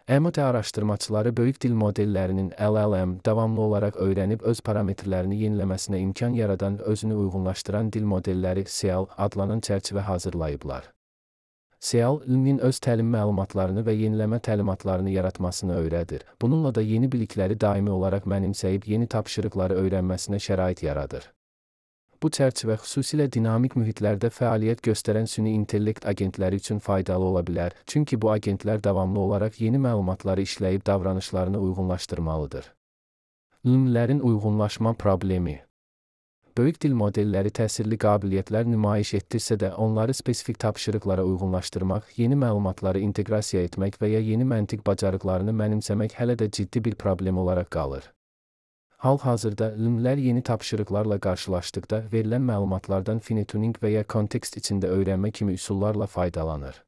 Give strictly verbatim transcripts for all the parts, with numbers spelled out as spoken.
M T araşdırmaçıları böyük dil modellərinin L L M davamlı olaraq öyrənib öz parametrlərini yeniləməsinə imkan yaradan özünü uyğunlaşdıran dil modelləri S E A L adlanan çərçivə hazırlayıblar. S E A L, ilmin öz təlim məlumatlarını və yeniləmə təlimatlarını yaratmasını öyrədir. Bununla da yeni bilikləri daimi olaraq mənimsəyib yeni tapşırıqları öyrənməsinə şərait yaradır. Bu çərçivə xüsusilə dinamik mühitlərdə fəaliyyət göstərən süni intellekt agentləri üçün faydalı ola bilər, çünki bu agentlər davamlı olaraq yeni məlumatları işləyib davranışlarını uyğunlaşdırmalıdır. L M L'lərin uyğunlaşma problemi. Böyük dil modelləri təsirli qabiliyyətlər nümayiş etdirsə də, onları spesifik tapşırıqlara uyğunlaşdırmaq, yeni məlumatları inteqrasiya etmək və ya yeni məntiq bacarıqlarını mənimsəmək hələ də ciddi bir problem olaraq qalır. Hal-hazırda L M L'lər yeni tapşırıqlarla qarşılaşdıqda verilən məlumatlardan finituning və ya kontekst içində öyrənmə kimi üsullarla faydalanır.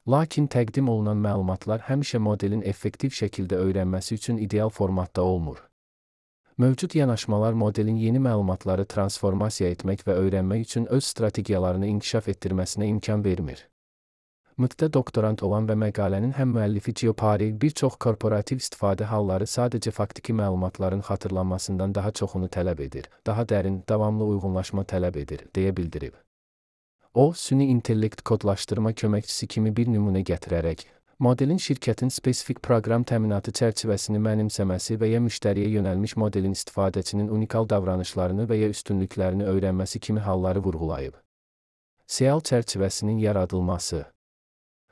Lakin təqdim olunan məlumatlar həmişə modelin effektiv şəkildə öyrənməsi üçün ideal formatda olmur. Mövcud yanaşmalar modelin yeni məlumatları transformasiya etmək və öyrənmək üçün öz strategiyalarını inkişaf etdirməsinə imkan vermir. M T də doktorant olan və məqalənin həm müəllifi Giopari bir çox korporativ istifadə halları sadəcə faktiki məlumatların xatırlanmasından daha çoxunu tələb edir, daha dərin, davamlı uyğunlaşma tələb edir, deyə bildirib. O, süni intellekt kodlaşdırma köməkçisi kimi bir nümunə gətirərək, modelin şirkətin spesifik proqram təminatı çərçivəsini mənimsəməsi və ya müştəriyə yönəlmiş modelin istifadəçinin unikal davranışlarını və ya üstünlüklərini öyrənməsi kimi halları vurğulayıb. S E A L çərçivəsinin yaradılması.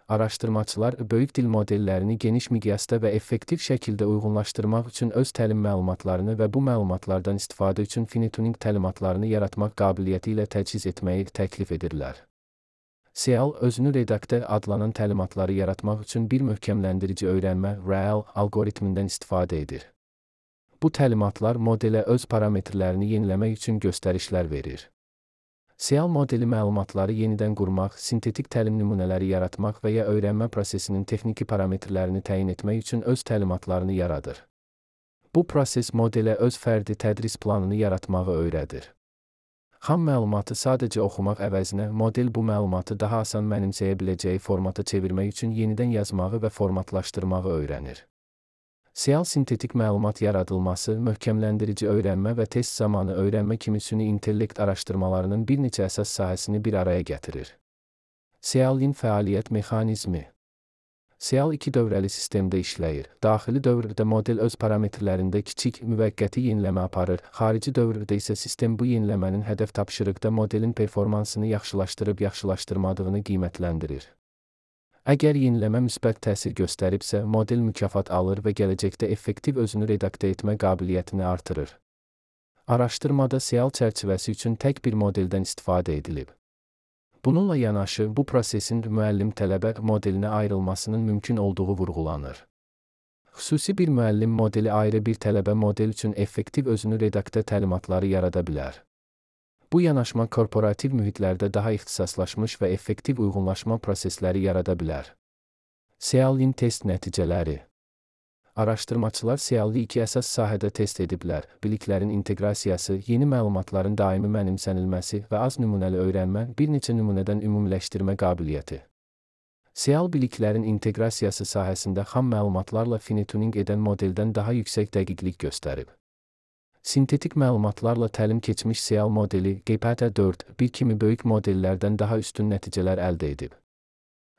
Araşdırmaçılar böyük dil modellərini geniş miqyasda və effektiv şəkildə uyğunlaşdırmaq üçün öz təlim məlumatlarını və bu məlumatlardan istifadə üçün finituning təlimatlarını yaratmaq qabiliyyəti ilə təchiz etməyi təklif edirlər. S E A L özünü redaktə adlanan təlimatları yaratmaq üçün bir möhkəmləndirici öyrənmə R A L algoritmindən istifadə edir. Bu təlimatlar modelə öz parametrlərini yeniləmək üçün göstərişlər verir. S E A L modeli məlumatları yenidən qurmaq, sintetik təlim nümunələri yaratmaq və ya öyrənmə prosesinin texniki parametrlərini təyin etmək üçün öz təlimatlarını yaradır. Bu proses modelə öz fərdi tədris planını yaratmağı öyrədir. Xam məlumatı sadəcə oxumaq əvəzinə model bu məlumatı daha asan mənimsəyə biləcəyi formata çevirmək üçün yenidən yazmağı və formatlaşdırmağı öyrənir. S E A L sintetik məlumat yaradılması, möhkəmləndirici öyrənmə və test zamanı öyrənmə kimi süni intellekt araşdırmalarının bir neçə əsas sahəsini bir araya gətirir. S E A L-in fəaliyyət mexanizmi. S E A L iki dövrəli sistemdə işləyir. Daxili dövrdə model öz parametrlərində kiçik, müvəqqəti yeniləmə aparır. Xarici dövrdə isə sistem bu yeniləmənin hədəf tapşırıqda modelin performansını yaxşılaşdırıb yaxşılaşdırmadığını qiymətləndirir. Əgər yeniləmə müsbət təsir göstəribsə, model mükafat alır və gələcəkdə effektiv özünü redaktə etmə qabiliyyətini artırır. Araşdırmada S E A L çərçivəsi üçün tək bir modeldən istifadə edilib. Bununla yanaşı, bu prosesin müəllim-tələbə modelinə ayrılmasının mümkün olduğu vurğulanır. Xüsusi bir müəllim modeli ayrı bir tələbə model üçün effektiv özünü redaktə təlimatları yarada bilər. Bu yanaşma korporativ mühitlərdə daha ixtisaslaşmış və effektiv uyğunlaşma prosesləri yarada bilər. S E A L-in test nəticələri. Araşdırmaçılar S E A L-i iki əsas sahədə test ediblər: biliklərin inteqrasiyası, yeni məlumatların daimi mənimsənilməsi və az nümunəli öyrənmə, bir neçə nümunədən ümumiləşdirmə qabiliyyəti. S E A L biliklərin inteqrasiyası sahəsində xam məlumatlarla finituning edən modeldən daha yüksək dəqiqlik göstərib. Sintetik məlumatlarla təlim keçmiş S E A L modeli G P T dörd bir kimi böyük modellərdən daha üstün nəticələr əldə edib.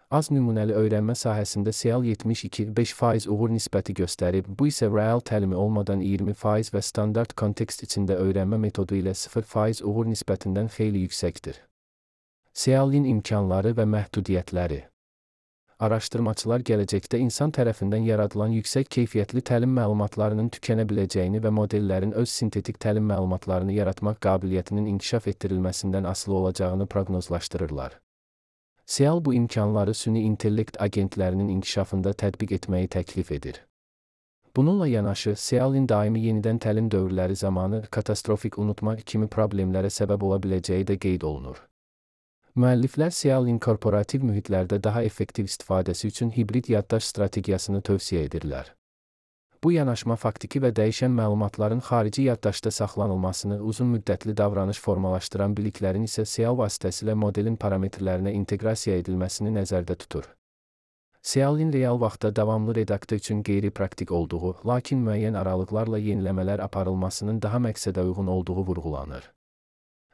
Az nümunəli öyrənmə sahəsində S E A L yetmiş iki beş faiz uğur nisbəti göstərib, bu isə R A L təlimi olmadan iyirmi faiz və standart kontekst içində öyrənmə metodu ilə sıfır faiz uğur nisbətindən xeyli yüksəkdir. S E A L-in imkanları və məhdudiyyətləri. Araşdırmaçılar gələcəkdə insan tərəfindən yaradılan yüksək keyfiyyətli təlim məlumatlarının tükənə biləcəyini və modellərin öz sintetik təlim məlumatlarını yaratmaq qabiliyyətinin inkişaf etdirilməsindən asılı olacağını proqnozlaşdırırlar. S E A L bu imkanları süni intellekt agentlərinin inkişafında tətbiq etməyi təklif edir. Bununla yanaşı, S E A L-in daimi yenidən təlim dövrləri zamanı katastrofik unutma kimi problemlərə səbəb ola biləcəyi də qeyd olunur. Müəlliflər S E A L-in korporativ mühitlərdə daha effektiv istifadəsi üçün hibrid yaddaş strategiyasını tövsiyə edirlər. Bu yanaşma faktiki və dəyişən məlumatların xarici yaddaşda saxlanılmasını, uzun müddətli davranış formalaşdıran biliklərin isə S E A L vasitəsilə modelin parametrlərinə inteqrasiya edilməsini nəzərdə tutur. SEAL-in real vaxtda davamlı redaktör üçün qeyri-praktik olduğu, lakin müəyyən aralıqlarla yeniləmələr aparılmasının daha məqsədə uyğun olduğu vurğulanır.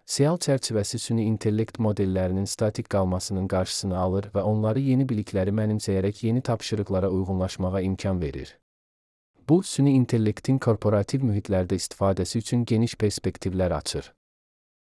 SEAL çərçivəsi süni intellekt modellərinin statik qalmasının qarşısını alır və onları yeni bilikləri mənimsəyərək yeni tapşırıqlara uyğunlaşmağa imkan verir. Bu, süni intellektin korporativ mühitlərdə istifadəsi üçün geniş perspektivlər açır.